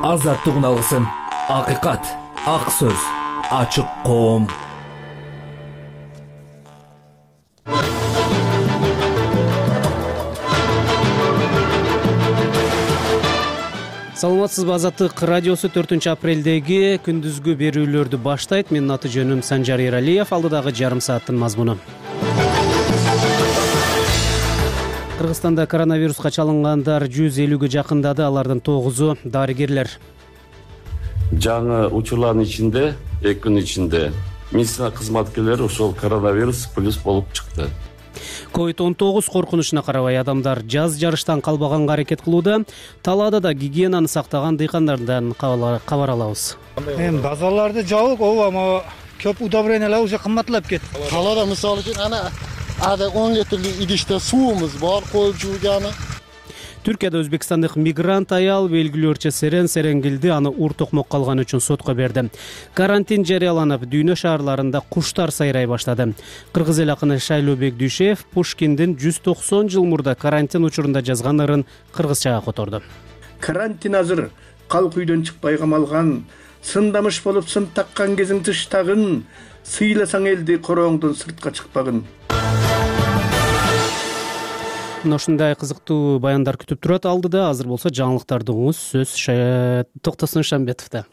азаттыгын алгысın. Акыйкат, ак сөз, ачык коом. Саламатсызбы, Азаттык радиосу 4-апрелдеги күндүзгү берүүлөрдү баштайт. Менин аты жөнүм Санжар Эралиев. Алдыдагы жарым сааттын мазмуну. Кыргызстанда коронавируска чалынгандар 150ге жакындады. Алардын 9-у дарыгерлер. Жаңы учурлардын ичинде 2 күн ичинде медицина кызматкерлери ошол коронавирус плюс болуп чыкты. COVID-19 коркунучуна карабай адамдар жаз жарыштан калбаганга аракет кылууда. Талаада да гигиенаны сактаган дыйкандардан кабар алабыз. Эми базарларды жабык, ама көп удобрениялар уже кымбатталып кетти. Талаада мисалы үчүн ада 10 литрлик идиште суумуз бар, коюп жууганы. Түркияда өзбекстандык мигрант аял белгилөөчө Серенгилди аны ур токмок калган үчүн сотко берди. Карантин жарыяланып, дүйнө шаарларында куштар сайрай баштады. Кыргыз эл акыны Шайлообек Дүйшев Пушкиндин 190 жыл мурда карантин учурунда жазган ырын кыргызчага которду. Карантин азыр, калк үйдөн чыкпай камалган, сындамыш болуп сын таккан кезиң тыштагын, сыйласаң элди корооңдон сыртка чыкпагын. Ушундай кызыктуу баяндар күтүп турат алдыда. Азыр болсо жаңылыктарды угуңуз. Сөз Токтосун Шамбетовдо.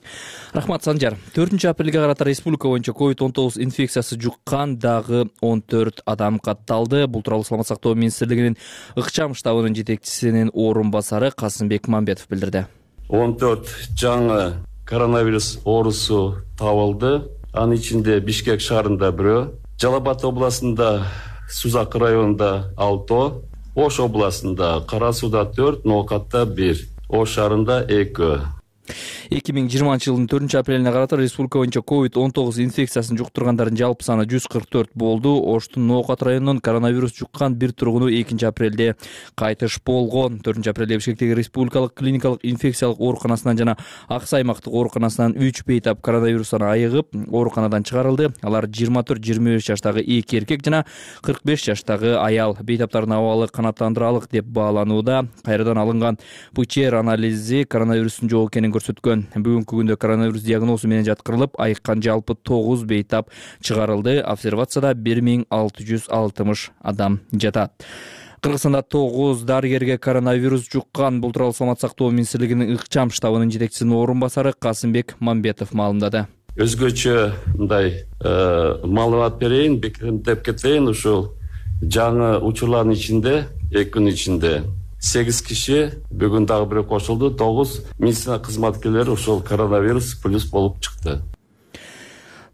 Рахмат, Санжар. 4-апрелге карата республика боюнча COVID-19 инфекциясы жуккан дагы 14 адам катталды. Бул тууралуу Саламат сактоо министрлигинин ыкчам штабынын жетекчисинин орун басары Касымбек Мамбетов билдирди. 14 жаңы коронавирус оорусу табылды. Анын ичинде Бишкек шаарында 1, Жалал Абад областында Сузак районунда 6, Ош областында Кара Сууда 4, Ноокатта 1, Ош шаарында 2. 2020 жылдын 4-апрелине карата республика боюнча COVID-19 инфекциясын жуктургандардын жалпы саны 144 болду. Оштун Ноокат районунун коронавирус жуккан бир тургуну 2-апрелде кайтыш болгон. 4-апрелде Бишкектеги республикалык клиникалык инфекциялык ооруканасынан жана Аксай аймактык ооруканасынан 3 бейтап коронавирустан айыгып, ооруканадан чыгарылды. Алар 24-25 жаштагы 2 эркек жана 45 жаштагы аял. Бейтаптардын абалы канааттандыралык деп бааланууда. Кайрадан алынган ПЧР анализи коронавирустун жок экенин көрсөткөн. Бүгүнкү күндө коронавирус диагнозу менен жаткырылып, айыккан жалпы 9 бейтап чыгарылды. Обсервацияда 1660 адам жатат. Кыргызстанда 9 дарыгерге коронавирус жуккан. Бул тууралуу Саламат сактоо министрлигинин ыкчам штабынын жетекчисинин орун басары Касымбек Мамбетов маалымдады. Өзгөчө мындай маалымат берейин, бекемдеп кетейин. Ушул жаңы учурлардын ичинде 2 күн ичинде 8 киши, бүгүн дагы бирөө кошулду, 9 медицина кызматкерлери ошол коронавирус плюс болуп чыкты.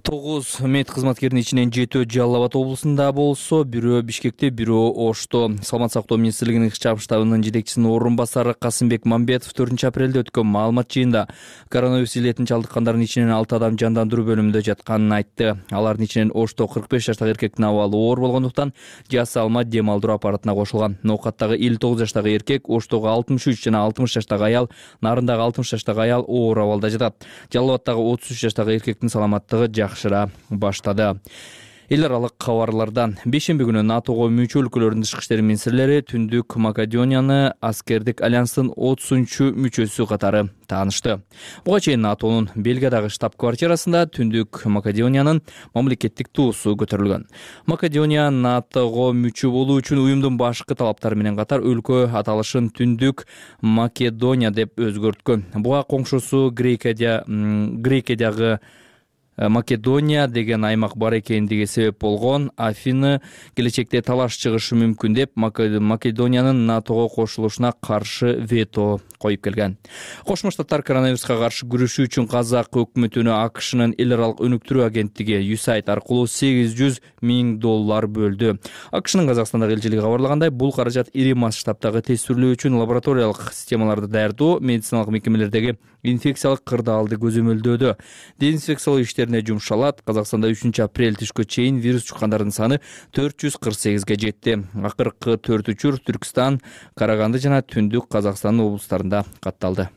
9 мед кызматкеринин ичинен 7 Жалал Абад облусунда болсо, бирөө Бишкекте, бирөө Ошто. Саламат сактоо министрлигинин ыкчам штабынын жетекчисинин орун басары Касымбек Мамбетов 4-апрелде өткөн маалымат жыйында коронавирус илетин чалдыккандардын ичинен 6 адам жандандыруу бөлүмүндө жатканын айтты. Алардын ичинен Ошто 45 жаштагы эркектин абалы оор болгондуктан Жаса Алма дем алдыруу аппаратына кошулган. Ноокаттагы 59 жаштагы эркек, Оштогу 63 жана 60 жаштагы аял, Нарындагы 60 жаштагы аял оор абалда жатат. Жалал Абадтагы 33 жаштагы эркектин саламаттыгы жакшыра баштады. Эл аралык кабарлардан бейшемби күнү НАТОго мүчө өлкөлөрдүн тышкы иштер министрлери Түндүк Македонияны аскердик альянстын 30-мүчөсү катары таанышты. Буга чейин НАТОнун Бельгиядагы штаб-квартирасында Түндүк Македониянын мамлекеттик туусу көтөрүлгөн. Македония НАТОго мүчө болуу үчүн уюмдун башкы талаптары менен катар өлкө аталышын Түндүк Македония деп өзгөрткөн. Буга коңшусу Грекиядагы Македония деген аймак бар экендиги себеп болгон. Афины келечекте талаш чыгышы мүмкүн деп Македониянын НАТОго кошулушуна каршы вето коюп келген. Кошмо Штаттар коронавируска каршы күрөшүү үчүн Казак өкмөтүнө АКШнын эл аралык өнүктүрүү агенттиги USAID аркылуу $800 000 бөлдү. АКШнын Казакстандагы элчилиги кабарлагандай, бул каражат ири масштабтагы тестирлөө үчүн лабораториялык системаларды даярдоо, медициналык мекемелердеги инфекциялык кырдаалды көзөмөлдөөдө, дезинфекциялоо иштерине жумшалат. Казакстанда 3-апрель түшкө чейин вирус жуккандардын саны 448ге жетти. Акыркы 4 учур Түркстан, Караганды жана Түндүк Казакстандын облустарында катталды.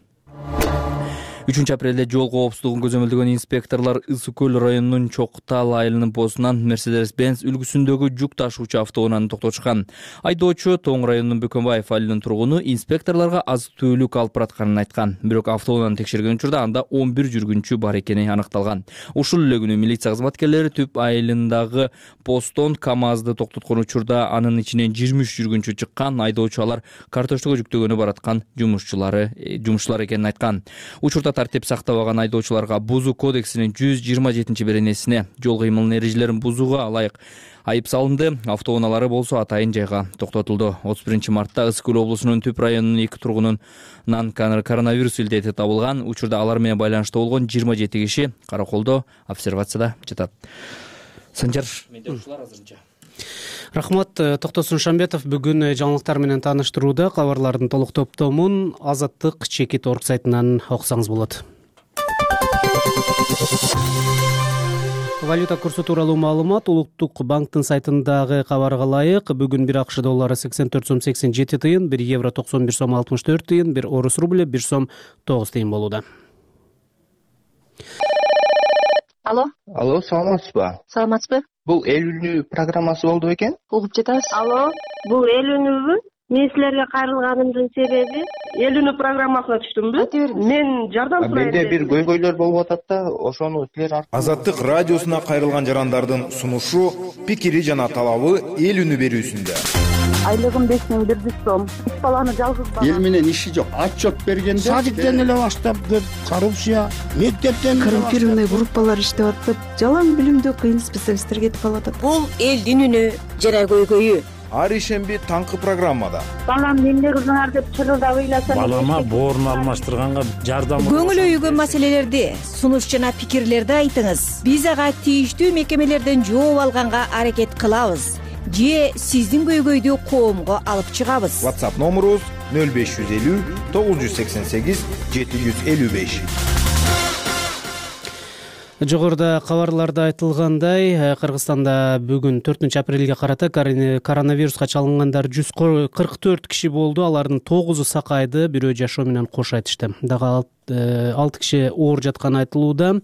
3 апрелде жол коопсуздугун көзөмөлдөгөн инспекторлор Ысык көл районунун Чоктал айылынын постунан Mercedes-Benz үлгүсүндөгү жүк ташуучу автоунааны токтотушкан. Айдоочу Тоң районунун Бөкөнбаев айылынын тургуну инспекторлорго азык-түлүк алып баратканын айткан. Бирок автоунааны текшерген учурда анда 11 жүргүнчү бар экени аныкталган. Ушул эле күнү милиция кызматкерлери Түп айылындагы посттон КАМАЗды токтоткон учурда анын ичинен 23 жүргүнчү чыккан. Айдоочу алар карточтого жүктөгөнү бараткан жумушчулар экенин айткан. Учурда тартип сактабаган айдоочуларга Бузуу кодексинин 127-беренесине жол кыймылынын эрежелерин бузууга ылайык айып салынды. Автоунаалары болсо атайын жайга токтотулду. 31-мартта Ысык көл облусунун Түп районунун 2 тургунунан коронавирус илдети табылган. Учурда алар менен байланышта болгон 27 киши караколдо обсервацияда жатат. Санжар, менде ушулар азырынча. Рахмат, Токтосун Шамбетов бүгүн жаңылыктар менен тааныштырууда. Кабарлардын толук топтомун Азаттык чекит орг сайтынан окусаңыз болот. Валюта курсу тууралуу маалымат Улуттук банктын сайтындагы кабарга ылайык. Бүгүн 1 АКШ доллары 84 сом 87 тыйын, 1 евро 91 сом 64 тыйын, 1 орус рубль 1 сом 9 тыйын болууда. Алло, саламатсызбы? Саламатсызбы? Бул эл үнү программасы болду бекен? Угуп жатабыз. Алло, бул эл үнүбү? Мен силерге кайрылганымдын себеби эл үнү программасына түштүмбү? Мен жардам сурайм. Менде бир көйгөйлөр болуп атат да, ошону силер Азаттык радиосуна кайрылган жарандардын сунушу, пикири жана талабы эл үнү берүүсүндө. Айлыгым 5000 сом. 3 баланы жалгыз бала. Эл менен иши жок. Отчет бергенде садиктен эле баштап көп коррупция, мектептен коррумпированный группалар иштеп атып, жалаң билимдүү кыйын специалисттер кетип калат. Бул элдин үнү жана көйгөйү. Ар ишемби таңкы программада. Балам эмне кылдыңар деп чырылдап ыйласам. Балама боорун алмаштырганга жардам. Көңүл өйгөн маселелерди, сунуш жана пикирлерди айтыңыз. Биз ага тийиштүү мекемелерден жооп алганга аракет кылабыз. Же сиздин көйгөйдү коомго алып чыгабыз. WhatsApp номерубуз 0550 988 755. Жогоруда кабарларда айтылгандай, Кыргызстанда бүгүн 4 апрелге карата коронавируска чалынгандар 144 киши болду. Алардын 9-у сакайды, бирөө жашоо менен кош айтышты. Дагы 6 киши оор жатканы айтылууда.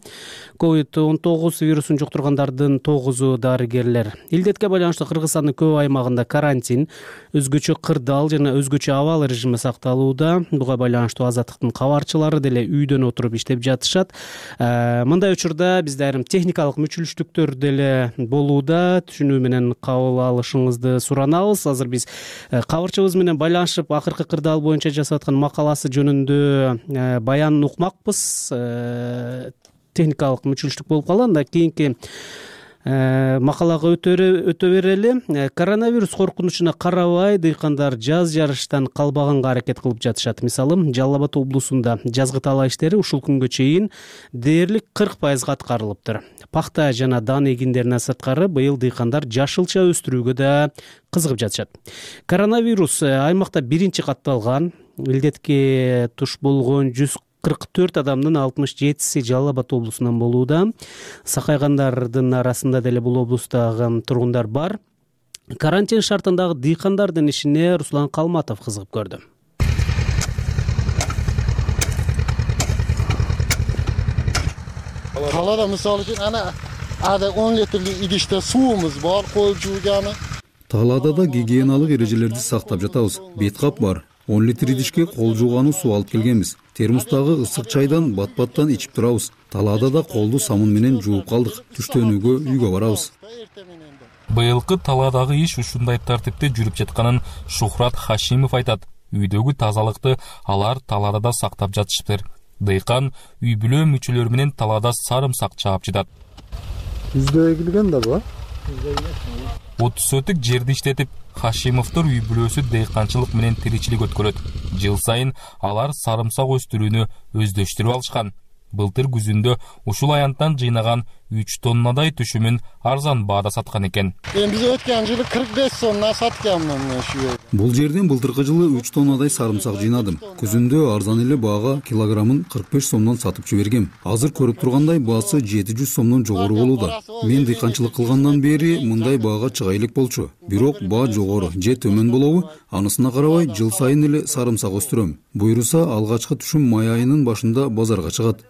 COVID-19 вирусун жуктургандардын 9-у дарыгерлер. Илдетке байланыштуу Кыргызстандын көп аймагында карантин, өзгөчө кырдаал жана өзгөчө абал режими сакталууда. Буга байланыштуу Азаттыктын кабарчылары деле үйдөн отуруп иштеп жатышат. Мындай учурда бизде айрым техникалык мүчүлүштүктөр деле болууда. Түшүнүү менен кабыл алышыңызды суранабыз. Азыр биз кабарчыбыз менен байланышып, акыркы кырдаал боюнча жасап аткан макаласы жөнүндө баян укмакпыз. Техникалык мүчүлүштүк болуп калган да, кийинки макалага өтө берели. Коронавирус коркунучуна карабай, дыйкандар жаз жарыштан калбаганга аракет кылып жатышат. Мисалы, Жалал Абад облусунда жазгы талаа иштери ушул күнгө чейин дээрлик 40% аткарылыптыр. Пахта жана дан эгиндеринен сырткары быйыл дыйкандар жашылча өстүрүүгө да кызыгып жатышат. Коронавирус аймакта биринчи катталган. Илдетке туш болгон 144 адамдын 67-си Жалал Абад облусунан болууда. Сакайгандардын арасында деле бул облустагы тургундар бар. Карантин шартындагы дыйкандардын ишине Руслан Калматов кызыгып көрдү. Talada misal üçün ада 10 litрлик идиште суумуз бар, коюп жууганы. Талаада да гигиеналык эрежелерди сактап жатабыз. Бет кап бар. 10 литр идишке кол жуугануу суу алып келгенбиз. Термостагы ысык чайдан бат-баттан ичип турабыз. Талаада да колду самын менен жууп калдык. Түштөнүүгө үйгө барабыз. Быйылкы Талаадагы иш ушундай тартипте жүрүп жатканын Шухрат Хашимов айтат. Үйдөгү тазалыкты алар Талаада да сактап жатышыптыр. Дыйкан үй бүлө мүчөлөрү менен Талаада сарымсак чаап жатат. Бизде эгилген да бар. 30 сотык жерди иштетип, Хашимовдор үй бүлөсү дыйканчылык менен тиричилик өткөрөт. Жыл сайын алар сарымсак өстүрүүнү өздөштүрүп алышкан. Былтыр күзүндө ушул аянттан жыйнаган 3 тоннадай түшүмүн арзан баада саткан экен. Биз өткөн жылы 45 сомдон сатканмын ушу. Бул жерден былтыркы жылы 3 тоннадай сарымсак жыйнадым. Күзүндө арзан эле баага килограммын 45 сомдон сатып жибергем. Азыр көрүп тургандай баасы 700 сомдон жогору болууда. Мен дыйканчылык кылгандан бери мындай баага чыга элек болчу. Бирок баа жогору же төмөн болобу, анысына карабай жыл сайын эле сарымсак өстүрөм. Буйруса алгачкы түшүм май айынын башында базарга чыгат.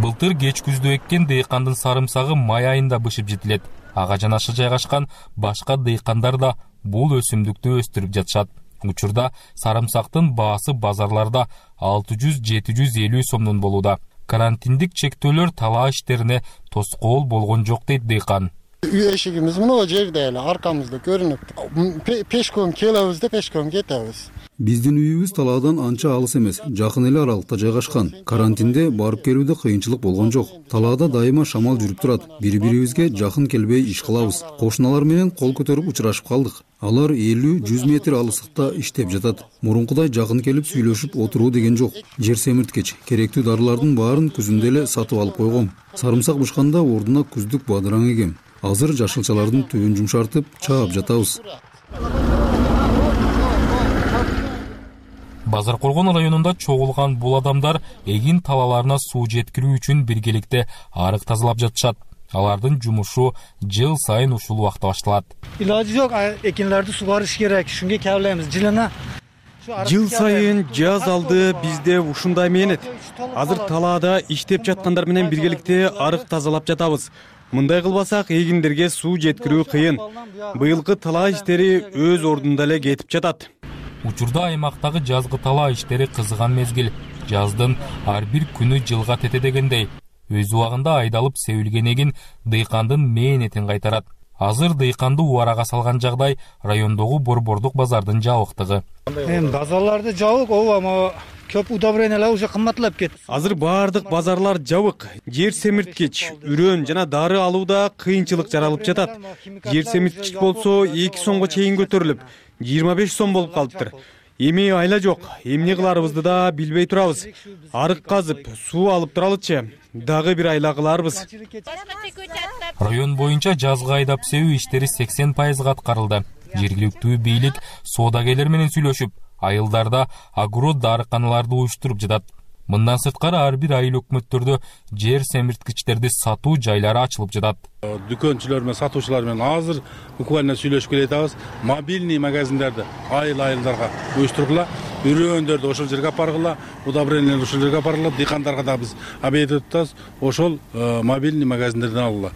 Былтыр кеч күздө эккен дыйкандын сарымсагы май айында бышып жетилет. Ага жанашы жайгашкан башка дыйкандар да бул өсүмдүктү өстүрүп жатышат. Учурда сарымсактын баасы базарларда 600-750 сомдон болууда. Карантиндик чектөөлөр талаа иштерине тоскоол болгон жок дейт дыйкан. Үй эшигибиз мына жерде эле аркамызда көрүнүп. Пешком келебиз да пешком кетебиз. Биздин үйүбүз талаадан анча алыс эмес, жакын эле аралыкта жайгашкан. Карантинде барып келүүдө кыйынчылык болгон жок. Талаада дайыма шамал жүрүп турат. Бири-бирибизге жакын келбей иш кылабыз. Кошуналар менен кол көтөрүп учурашып калдык. Алар 50-100 метр алыстыкта иштеп жатат. Мурункудай жакын келип сүйлөшүп отуруу деген жок. Жер семирткеч, керектүү дарылардын баарын күзүндө эле сатып алып койгом. Сарымсак бышканда ордуна күздүк бадыраң эгем. Азыр жашылчалардын түбүн жумшартып чаап жатабыз. Базар Коргон районунда чогулган бул адамдар эгин талаларына суу жеткирүү үчүн биргеликте арык тазалап жатышат. Алардын жумушу жыл сайын ушул убакта башталат. Илажы жок, экинлерди сугарыш керек. Шунга кабылайбыз. Жылына жыл сайын жаз алды бизде ушундай мээнет. Азыр талаада иштеп жаткандар менен биргеликте арык тазалап жатабыз. Мындай кылбасак эгиндерге суу жеткирүү кыйын. Быйылкы талаа иштери өз ордунда эле кетип жатат. Учурда аймактагы жазгы талаа иштери кызыган мезгил. Жаздын ар бир күнү жылга тете дегендей. Өз убагында айдалып себилген эгин дыйкандын мээнетин кайтарат. Азыр дыйканды убарага салган жагдай райондогу борбордук базардын жабыктыгы. Базарларды жабык, ооба, көп удобрениялар уже кымбатлап кетти. Азыр баардык базарлар жабык. Жер семирткич, үрөн жана дары алууда кыйынчылык жаралып жатат. Жер семирткич болсо 2 сомго чейин көтөрүлүп, 25 сом болуп калыптыр. Эми айла жок, эмне кыларыбызды да билбей турабыз. Арык казып, суу алып туралычы, дагы бир айла кыларбыз. Район боюнча жазгы айдап себүү иштери 80% аткарылды. Жергиликтүү бийлик соодагерлер менен сүйлөшүп, айылдарда агро дарыканаларды уюштуруп жатат. Мындан сырткары ар бир айыл өкмөттөрдө жер семирткичтерди сатуу жайлары ачылып жатат. Дүкөнчүлөр менен сатуучулар менен азыр буквально сүйлөшүп келатабыз. Мобильный магазиндерди айылдарга уюштургула, үрөөндөрдү ошол жерге апаргыла, удобренияларды ошол жерге апаргыла, дыйкандарга да биз объявить атабыз. Ошол мобильный магазиндерден алгыла.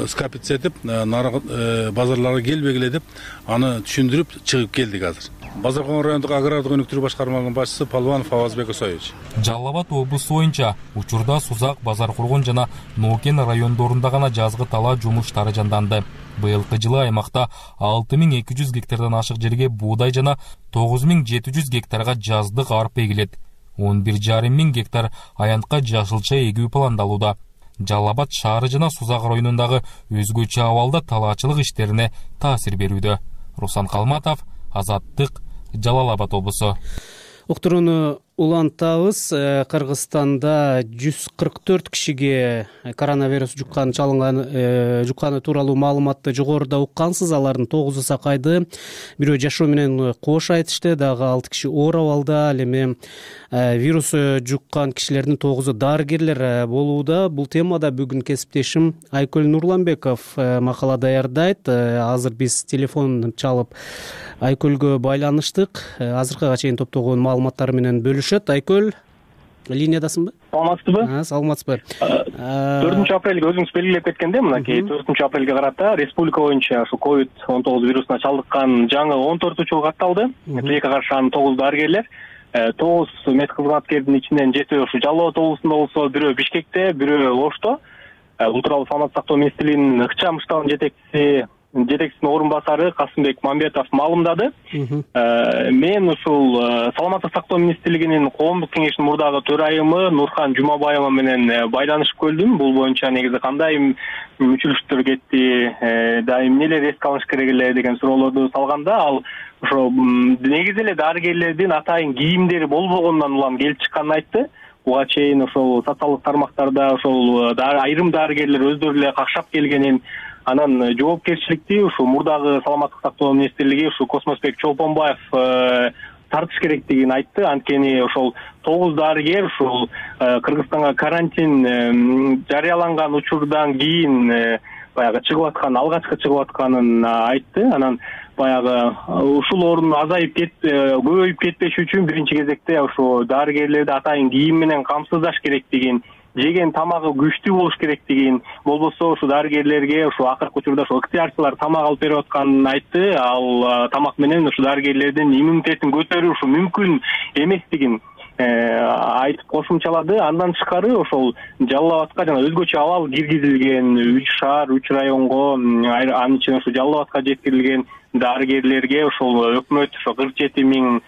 Скапец этип, базарларга келбегиле деп, аны түшүндүрүп чыгып келдик азыр. Базар Коргон райондук агрардык өнүктүрүү башкармалыгынын башчысы Палванов Авазбек Усаевич. Жалал Абад облусу боюнча учурда Сузак, Базар Коргон жана Нокен райондорунда гана жазгы талаа жумуштары жанданды. Быйылкы жылы аймакта 6200 гектардан ашык жерге буудай жана 9700 гектарга жаздык арпа эгилет. 11,5 миң гектар аянтка жашылча эгүү пландалууда. Жалал Абад шаары жана Сузак районундагы өзгөчө абалда талаачылык иштерине таасир берүүдө. Руслан Калматов, Азаттык, Жалал Абад облусу. Уктурууну улантабыз. Кыргызстанда 144 кишиге коронавирус жукканы тууралуу маалыматты жогоруда уккансыз. Алардын 9-у сакайды, бирөө жашоо менен кош айтышты, дагы 6 киши оор абалда. Ал эми вирус жуккан кишилердин 9-у дарыгерлер болууда. Бул темада бүгүн кесиптешим Айкөл Нурланбеков макала даярдайт. Азыр биз телефон чалып Айкөлгө байланыштык. Азыркыга чейин топтогон маалыматтары менен бөлүшөт. Айкөл, линиядасыңбы? Саламатсызбы? Саламатсызбы. 4 апрелге өзүңүз белгилеп кеткендей, мынакей 4 апрелге карата республика боюнча ушу COVID-19 вирусуна чалдыккан жаңы 14 учур катталды. Тилекке каршы анын 9 дарыгерлер, 9 медкызматкердин ичинен 7 ушу Жалал Абад облусунда болсо, бирөө Бишкекте, бирөө Ошто. Бул тууралуу Саламаттык сактоо министрлигинин ыкчам штабынын жетекчисинин орун басары Касымбек Мамбетов маалымдады. Мен ушул Саламаттык сактоо министрлигинин коомдук кеңешинин мурдагы төрайымы Нурхан Жумабаева менен байланышып көрдүм. Бул боюнча негизи кандай мүчүлүштөр кетти, дайым эмнелер эске алыш керек эле деген суроолорду салганда, ал ошо негизи эле дарыгерлердин атайын кийимдери болбогондон улам келип чыкканын айтты. буга чейин ошол социалдык тармактарда ошол айрым дарыгерлер өздөрү эле какшап келгенин, анан жоопкерчиликти ушу мурдагы саламаттык сактоо министрлиги ушу Космосбек Чолпонбаев тартыш керектигин айтты. Анткени ошол 9 дарыгер ушул Кыргызстанга карантин жарыяланган учурдан кийин баягы чыгып аткан, алгачкы чыгып атканын айтты. Анан баягы ушулордун азайып көбөйүп кетпеш үчүн биринчи кезекте ушу дарыгерлерди атайын кийим менен камсыздаш керектигин, жеген тамагы күчтүү болуш керектигин, болбосо ушу дарыгерлерге ушу акыркы учурда ушу ыктыярчылар тамак алып берип атканын айтты. Ал тамак менен ушу дарыгерлердин иммунитетин көтөрүү ушу мүмкүн эместигин айтып кошумчалады. Андан тышкары ошол Жалал Абадка жана өзгөчө абал киргизилген 3 шаар, 3 районго, анын ичинде ушу Жалал Абадка жеткирилген дарыгерлерге ошол өкмөт ошо 47 000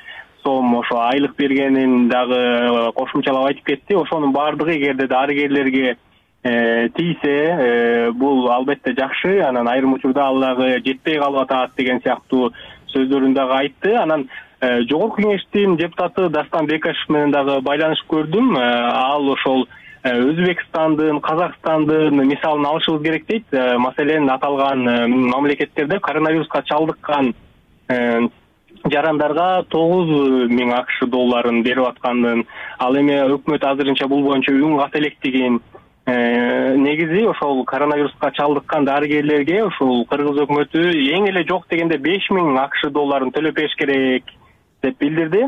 сом ошо айлык бергенин дагы кошумчалап айтып кетти. Ошонун баардыгы эгерде дарыгерлерге тийсе, бул албетте жакшы. Анан айрым учурда ал дагы жетпей калып атат деген сыяктуу сөздөрүн дагы айтты. Анан Жогорку кеңештин депутаты Дастан Бекашев менен дагы байланышып көрдүм. Ал ошол Өзбекстандын, Казакстандын мисалын алышыбыз керек дейт. Маселен, аталган мамлекеттерде коронавируска чалдыккан жарандарга 9 000 АКШ долларын берип атканын, ал эми өкмөт азырынча бул боюнча үн ката электигин, негизи ошол коронавируска чалдыккан дарыгерлерге ушул кыргыз өкмөтү эң эле жок дегенде 5 000 АКШ долларын төлөп бериш керек деп билдирди.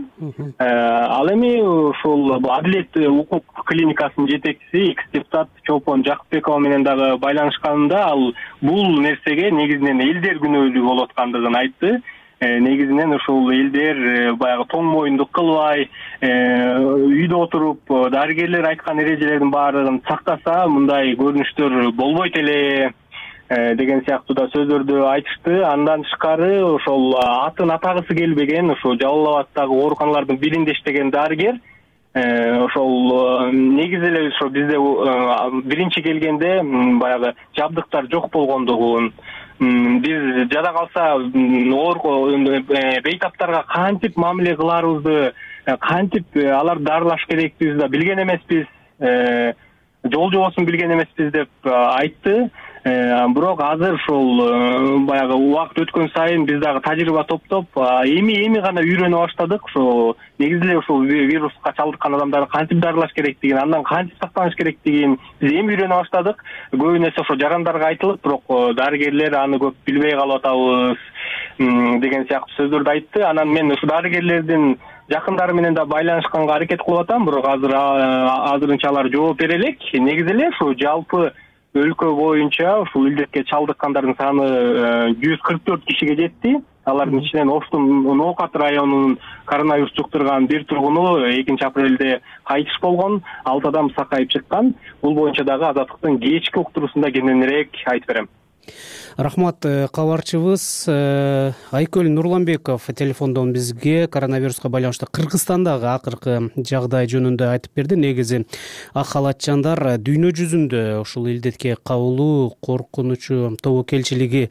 Ал эми ушул Адилет укук клиникасынын жетекчиси экс-депутат Чолпон Жакыпбекова менен дагы байланышканында ал бул нерсеге негизинен элдер күнөөлүү болуп аткандыгын айтты. Негизинен ушул элдер баягы тоң моюндук кылбай, үйдө отуруп дарыгерлер айткан эрежелердин баардыгын сактаса, мындай көрүнүштөр болбойт эле деген сыяктуу да сөздөрдү айтышты. Андан тышкары ошол атын атагысы келбеген ошол Жалал Абадтагы ооруканалардын биринде иштеген дарыгер ошол негизи эле ошо бизде биринчи келгенде баягы жабдыктар жок болгондугун, биз жада калса бейтаптарга кантип мамиле кыларыбызды, кантип аларды дарылаш керекпизди да билген эмеспиз, жол жобосун билген эмеспиз деп айтты. Бирок азыр ушул баягы убакыт өткөн сайын биз дагы тажрыйба топтоп, эми гана үйрөнө баштадык. Ошо негизи эле ушул вируска чалдыккан адамдарды кантип дарылаш керектигин, андан кантип сактаныш керектигин биз эми үйрөнө баштадык. Көбүнесе ошо жарандарга айтылып, бирок дарыгерлер аны көп билбей калып атабыз деген сыяктуу сөздөрдү айтты. Анан мен ушу дарыгерлердин жакындары менен да байланышканга аракет кылып атам, бирок азырынча алар жооп бере элек. Негизи эле ушу жалпы өлкө боюнча ушул илдетке чалдыккандардын саны 144 кишиге жетти. Алардын ичинен Оштун Ноокат районунун коронавирус жуктурган бир тургуну 2 апрелде кайтыш болгон, 6 адам сакайып чыккан. Бул боюнча дагы Азаттыктын кечки уктуруусунда кененирээк айтып берем. Рахмат. Кабарчыбыз Айкөл Нурланбеков телефондон бизге коронавируска байланыштуу Кыргызстандагы акыркы жагдай жөнүндө айтып берди. Негизи ак халатчандар дүйнө жүзүндө ушул илдетке кабылуу коркунучу, тобокелчилиги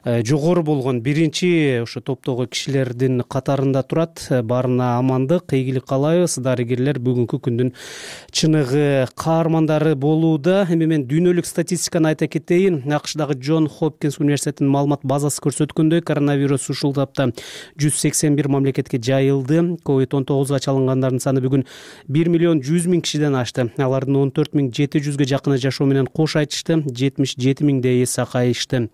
жогору болгон биринчи ушу топтогу кишилердин катарында турат. Баарына амандык, ийгилик каалайбыз. Дарыгерлер бүгүнкү күндүн чыныгы каармандары болууда. Эми мен дүйнөлүк статистиканы айта кетейин. АКШдагы Джон Хопкинс университетинин маалымат базасы көрсөткөндөй, коронавирус ушул тапта 181 мамлекетке жайылды. COVID-19 чалынгандардын саны бүгүн 1 100 000 кишиден ашты. Алардын 14 700ге жакыны жашоо менен кош айтышты, 77 000 сакайышты.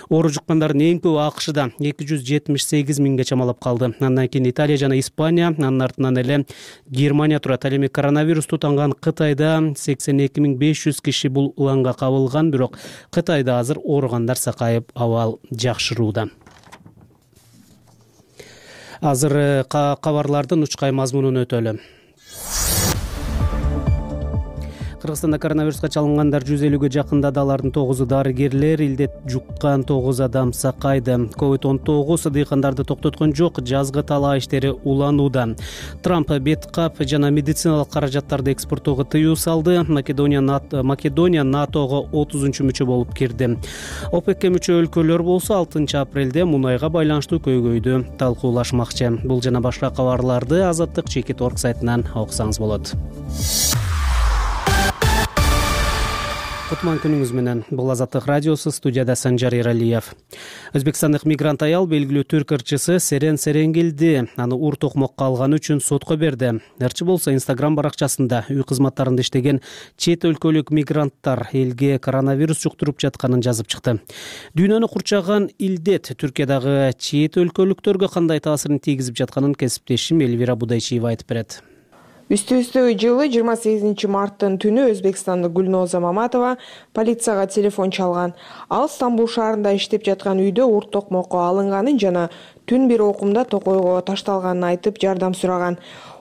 Оору жуккандардын эң көбү АКШда 278 000ге чамалап калды. Андан кийин Италия жана Испания, анын артынан эле Германия турат. Ал эми коронавирус тутанган Кытайда 82 500 киши бул уланга кабылган, бирок Кытайда азыр ооругандар сакайып, абал жакшырууда. Азыр кабарлардын учкай мазмунун өтөлү. Кыргызстанда коронавируска чалынгандар 150-ге жакындады. Алардын 9-у дарыгерлер, илдет жуккан 9 адам сакайды. COVID-19 дыйкандарды токтоткон жок, жазгы талаа иштери уланууда. Трамп бет кап жана медициналык каражаттарды экспорттоого тыюу салды. Македония НАТОго 30-мүчө болуп кирди. ОПЕКке мүчө өлкөлөр болсо 6 апрелде мунайга байланыштуу көйгөйдү талкуулашмакчы. Бул жана башка кабарларды Азаттык Чекит Орг сайтынан окусаңыз болот. Кутман күнүңүз менен. Бул Азаттык радиосу, студияда Санжар Эралиев. Өзбекстандык мигрант аял белгилүү түрк ырчысы Серен Серенгилди аны ур токмокко алганы үчүн сотко берди. Ырчы болсо Instagram баракчасында үй кызматтарында иштеген чет өлкөлүк мигранттар элге коронавирус жуктуруп жатканын жазып чыкты. Дүйнөнү курчаган илдет Түркиядагы чет өлкөлүктөргө кандай таасирин тийгизип жатканын кесиптешим Элвира Будайчиева айтып берет. Үстү-үстү жылы 28 марттын түнү Өзбекстандык Гүлноза Маматова полицияга телефон чалган. Ал Стамбул шаарында иштеп жаткан үйдө ур токмокко алынганын жана түн бир окумда токойго ташталганын айтып жардам сураган.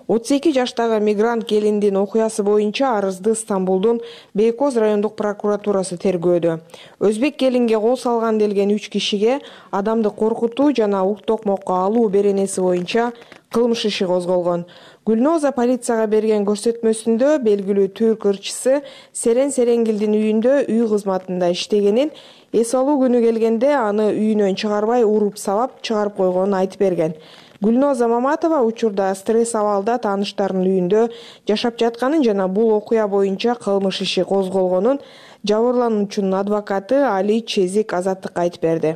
32 жаштагы мигрант келиндин окуясы боюнча арызды Стамбулдун Бейкоз райондук прокуратурасы тергөөдө. Өзбек келинге кол салган делген 3 кишиге адамды коркутуу жана ур токмокко алуу беренеси боюнча кылмыш иши козголгон. Гүлноза полицияга берген көрсөтмөсүндө белгилүү түрк ырчысы Серен Серенгилдин үйүндө үй кызматында иштегенин, эс алуу күнү келгенде аны үйүнөн чыгарбай уруп сабап чыгарып койгонун айтып берген. Гүлноза Маматова учурда стресс абалда тааныштарынын үйүндө жашап жатканын жана бул окуя боюнча кылмыш иши козголгонун жабырлануучунун адвокаты Али Чезик Азаттыкка айтып берди.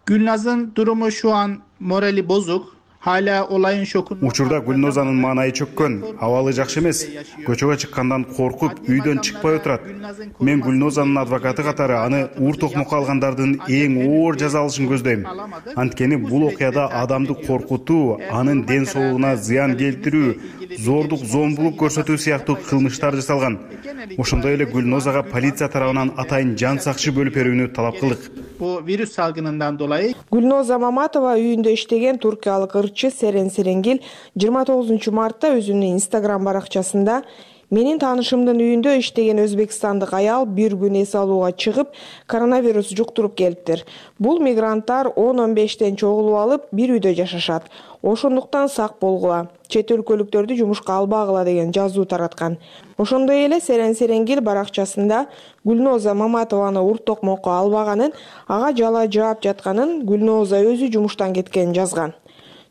Gülnaz'ın durumu şu an morali bozuk. Hala olayın şokunda. Учурда Гүлнозанын маанайы чөккөн, абалы жакшы эмес. Көчөгө чыккандан коркуп, үйдөн чыкпай отурат. Мен Гүлнозанын адвокаты катары аны ур токмокко алгандардын эң оор жаза алышын көздөйм. Анткени бул окуяда адамды коркутуу, анын ден соолугуна зыян келтирүү, зордук, зомбулук көрсөтүү сыяктуу кылмыштар жасалган. Ошондой эле Гүлнозага полиция тарабынан атайын жан сакчы бөлүп берүүнү талап кылдык. Bu virüs salgınından dolayı Gülnoza Mamatova үйүндө иштеген туркиялык ырчы Серен Серенгил 29 мартта өзүнүн Instagram баракчасында менин таанышымдын үйүндө иштеген өзбекстандык аял бир күн эс алууга чыгып, коронавирус жуктуруп келиптир. Бул мигранттар 10-15тен чогулуп алып, бир үйдө жашашат. Ошондуктан сак болгула, чет өлкөлүктөрдү жумушка албагыла деген жазуу тараткан. Ошондой эле Серен Серенгил баракчасында Гүлноза Маматованы ур токмокко албаганын, ага жала жаап жатканын, Гүлноза өзү жумуштан кеткенин жазган.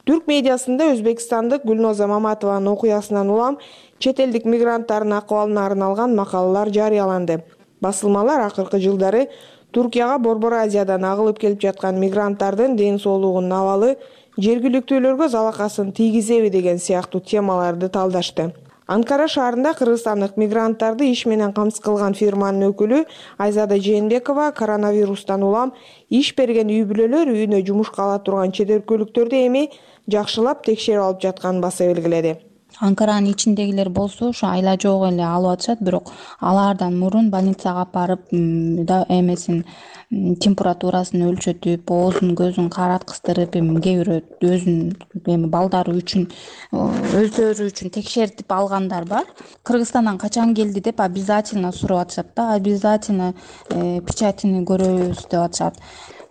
Түрк медиасында Өзбекстандык Гүлноза Маматованын окуясынан улам чет элдик мигранттардын акыбалына арналган макалалар жарыяланды. Басылмалар акыркы жылдары Туркияга Борбор Азиядан агылып келип жаткан мигранттардын ден соолугунун абалы жергиликтүүлөргө залакасын тийгизеби деген сыяктуу темаларды талдашты. Анкара шаарында кыргызстандык мигранттарды иш менен камсыз кылган фирманын өкүлү Айзада Жээнбекова коронавирустан улам иш берген үй бүлөлөр үйүнө жумушка ала турган чет өлкөлүктөрдү эми жакшылап текшерип алып жатканын баса белгиледи. Анкаранын ичиндегилер болсо ушу айла жок эле алып атышат, бирок алардан мурун больницага алып барып эмесин температурасын өлчөтүп, оозун көзүн караткыстырып, кээ бирөө өзүнүн балдары үчүн өздөрү үчүн текшертип алгандар бар. Кыргызстандан качан келди деп обязательно сурап атышат да, обязательно печатini көрөбүз деп атышат.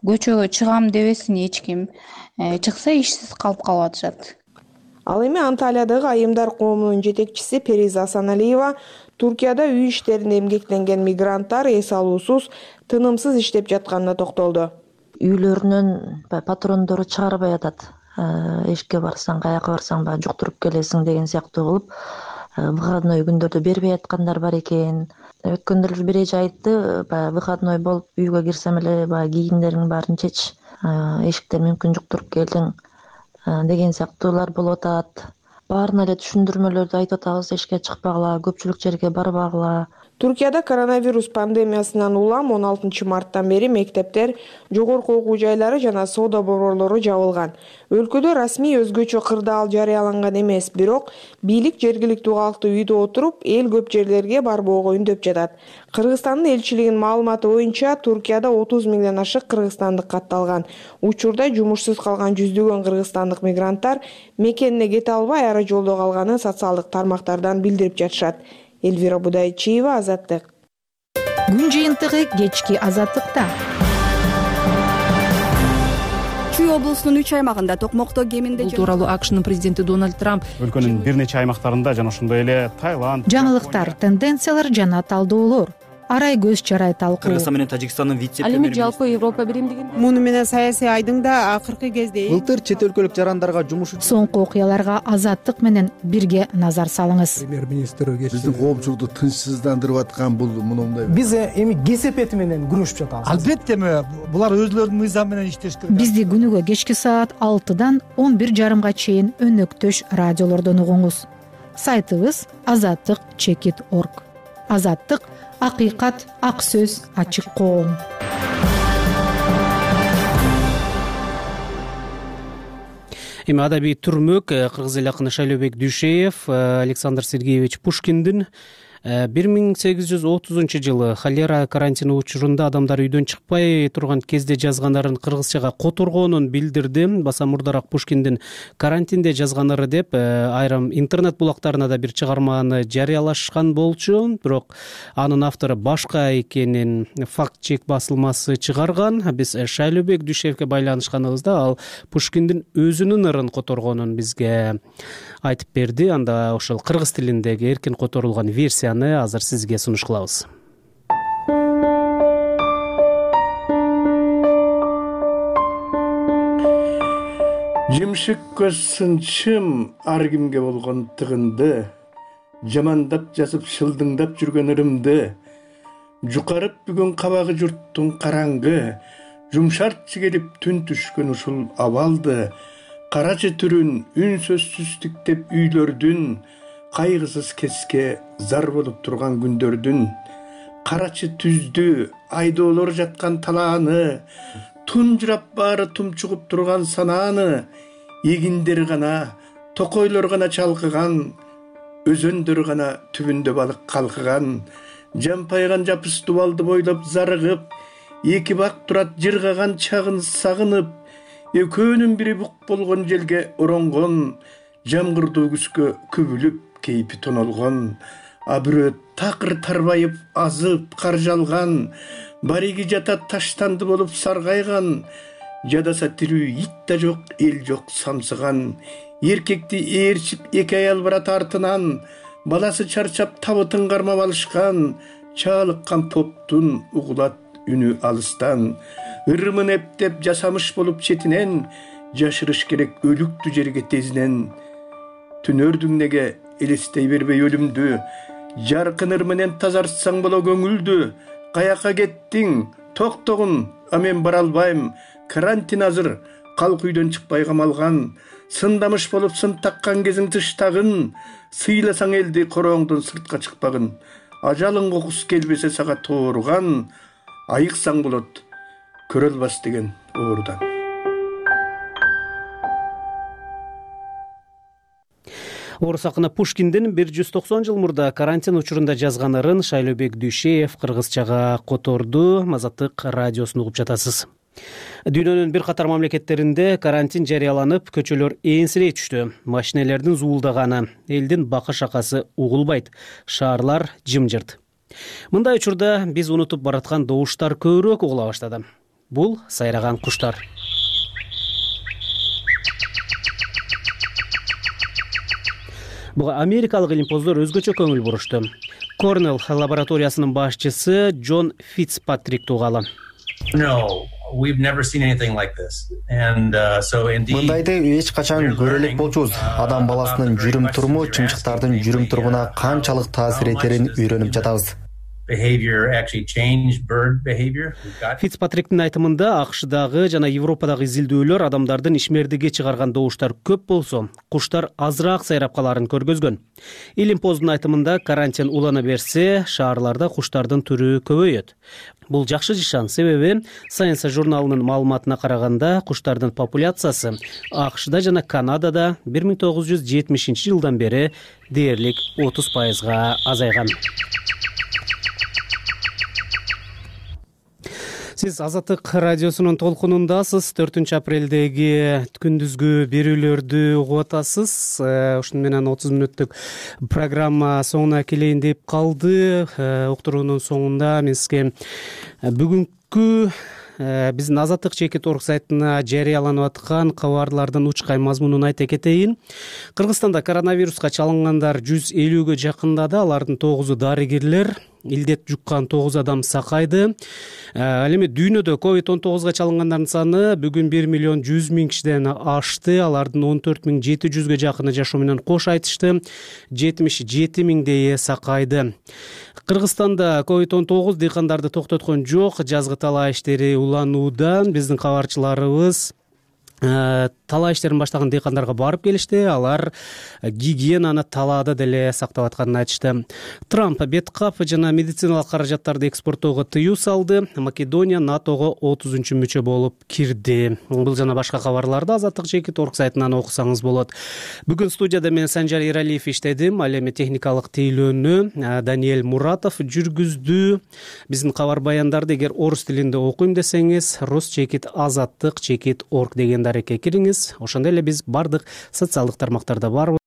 Көчөгө чыгам дебесин эч ким, чыкса ишсиз калып атышат. Ал эми Анталиядагы айымдар коомунун жетекчиси Периза Асаналиева Туркияда үй иштеринде эмгектенген мигранттар эс алуусуз, тынымсыз иштеп жатканына токтолду. Үйлөрүнөн патрондору чыгарбай атат. Эшикке барсаң, каяка барсаң жуктуруп келесиң деген сыяктуу кылып, выходной күндөрдө бербей аткандар бар экен. Өткөндө бир эже айтты, выходной болуп үйгө кирсем эле кийимдериңдин баарын чеч, эшиктен мүмкүн жуктуруп келдиң деген сыяктуулар болуп атат. Баарына эле түшүндүрмөлөрдү айтып атабыз, эшикке чыкпагыла, көпчүлүк жерге барбагыла. Туркияда коронавирус пандемиясынан улам 16 марттан бери мектептер, жогорку окуу жайлары жана соода борборлору жабылган. Өлкөдө расмий өзгөчө кырдаал жарыяланган эмес, бирок бийлик жергиликтүү калкты үйдө отуруп, эл көп жерлерге барбоого үндөп жатат. Кыргызстандын элчилигинин маалыматы боюнча, Туркияда 30 миңден ашык кыргызстандык катталган. Учурда жумушсуз калган жүздөгөн кыргызстандык мигранттар мекенине кете албай ара жолдо калганын социалдык тармактардан билдирип жатышат. Элвира Будайчиева, Азаттык. Күн жыйынтыгы кечки Азаттыкта. Чүй облусунун 3 аймагында токмокто кеминде Бул тууралуу АКШнын президенти Дональд Трамп өлкөнүн бир нече аймактарында жана ошондой эле Таиланд, жаңылыктар, тенденциялар жана талдоолор, арай көз чарай талкуу. Кыргызстан менен Тажикстандын Ал эми жалпы Европа биримдигинде Муну менен саясий айдың да акыркы кезде Былтыр чет өлкөлүк жарандарга жумуш Соңку окуяларга Азаттык менен бирге назар салыңыз. Биздин коомчулукту тынчсыздандырып аткан бул мындай. Биз эми кесепети менен күрөшүп жатабыз. Албетте булар өзлөрүнүн мыйзамы менен иштеш керек. Бизди күнүгө кечки саат 6-дан 11:30 чейин өнөктөш радиолордон угуңуз. Сайтыбыз azattik.org. Азаттык — акыйкат, ак сөз, ачык коом. Эми адабий түрмөк кыргыз эл акыны Шайлообек Дүйшеев Александр Сергеевич Пушкиндин 1830 жылы холера карантини учурунда адамдар үйдөн чыкпай турган кезде жазганарын кыргызчага которгонун билдирди. Баса мурдараак Пушкиндин карантинде жазганары деп айрым интернет булактарына да бир чыгарманы жарыялашкан болчу. Бирок анын автору башка экенин факт чек басылмасы чыгарган. Биз Шайлообек Дүйшеевке байланышканыбызда ал Пушкиндин өзүнүн ырын которгонун бизге айтып берди. Анда ошол кыргыз тилиндеги эркин которулган версияны азыр сизге сунуш кылабыз. Жимшик көз сынчым ар кимге болгон тыгынды, жамандап жазып шылдыңдап жүргөн ырымды, жукарып бүгүн кабагы журттун караңгы, жумшартчы келип түн түшкөн ушул абалды, карачы түрүн үнсөзсүз тиктеп үйлөрдүн, кайгысыз кеске зар болуп турган күндөрдүн, карачы түздү айдоолор жаткан талааны, тунжурап баары тумчугуп турган санааны, эгиндер гана, токойлор гана чалкыган, өзөндөр гана түбүндө балык калкыган, жампайган жапыс дубалды бойлоп зарыгып, эки бак турат жыргаган чагын сагынып, экөөнүн бири бук болгон желге оронгон, жамгырдуу күзгө күбүлүп кейпи тонолгон, а бирөө такыр тарбайып азып каржалган, бариги жата таштанды болуп саргайган, жадаса тирүү ит да жок, эл жок самсыган, эркекти ээрчип эки аял барат артынан, баласы чарчап табытын кармап алышкан, чаалыккан поптун угулат үнү алыстан, ырымын эптеп жасамыш болуп четинен, жашырыш керек өлүктү жерге тезинен. Түнөрдүң неге элестей бербей өлүмдү, жаркын ыр менен тазартсаң боло көңүлдү, каяка кеттиң, токтогун, а мен бара албайм, карантин азыр, калк үйдөн чыкпай камалган, сындамыш болуп сын таккан кезиң тыштагын, сыйласаң элди корооңдон сыртка чыкпагын, ажалың кокус келбесе сага тоорган, айыксаң болот, көрө албас деген оорудан. Орус акыны Пушкиндин 190 жыл мурда карантин учурунда жазган ырын Шайлообек Дүйшеев кыргызчага которду. Азаттык радиосун угуп жатасыз. Дүйнөнүн бир катар мамлекеттеринде карантин жарыяланып, көчөлөр ээрсирей түштү. Машинелердин зуулдаганы, элдин бака-шакасы угулбайт, шаарлар жымжырт. Мындай учурда биз унутуп бараткан добуштар көбүрөөк угула баштады. Бул сайраган куштар. Буга америкалык илимпоздор өзгөчө көңүл бурушту. Корнелл лабораториясынын башчысы Джон Фицпатрик тугалы. Мындайды эч качан көрө элек болчубуз. Адам баласынын жүрүм туруму чымчыктардын жүрүм турумуна канчалык таасир этерин үйрөнүп жатабыз. Фицпатриктин айтымында АКШдагы жана Европадагы изилдөөлөр адамдардын ишмердиги чыгарган добуштар көп болсо, куштар азыраак сайрап каларын көргөзгөн. Илимпоздун айтымында карантин улана берсе, шаарларда куштардын түрү көбөйөт. Бул жакшы жишан, себеби Science журналынын маалыматына караганда куштардын популяциясы АКШда жана Канадада 1970 жылдан бери дээрлик 30%га азайган. Сиз Азаттык радиосунун толкунундасыз. 4 апрелдеги күндүзгү берүүлөрдү угуп атасыз. Ушуну менен 30 мүнөттүк программа соңуна келейин деп калды. Уктуруунун соңунда мен сизге бүгүнкү биздин Азаттык чекит орг сайтына жарыяланып аткан кабарлардын учкай мазмунун айта кетейин. Кыргызстанда коронавируска чалынгандар 150гө жакындады. Алардын 9-у дарыгерлер. Илдет жуккан 9 адам сакайды. Ал эми дүйнөдө COVID-19 чалынгандардын саны бүгүн 1.100.000 кишиден ашты. Алардын 14.700гө жакыны жашоо менен кош айтышты. 77.000 сакайды. Кыргызстанда COVID-19 дыйкандарды токтоткон жок. Жазгы талаа иштери уланууда. Биздин кабарчыларыбыз талаа иштерин баштаган дыйкандарга барып келишти. Алар гигиенаны талаада деле сактап атканын айтышты. Трамп бет кап жана медициналык каражаттарды экспорттоого тыюу салды. Македония НАТОго 30-мүчө болуп кирди. Бул жана башка кабарларды Азаттык чекит орг сайтынан окусаңыз болот. Бүгүн студияда мен Санжар Иралиев иштедим. Ал эми техникалык тейлөөнү Даниэль Муратов жүргүздү. Биздин кабар баяндарды эгер орус тилинде окуйм десеңиз, Росчекит Азаттык чекит орг деген дарекке кириңиз. Ошондой эле биз бардык социалдык тармактарда барбыз.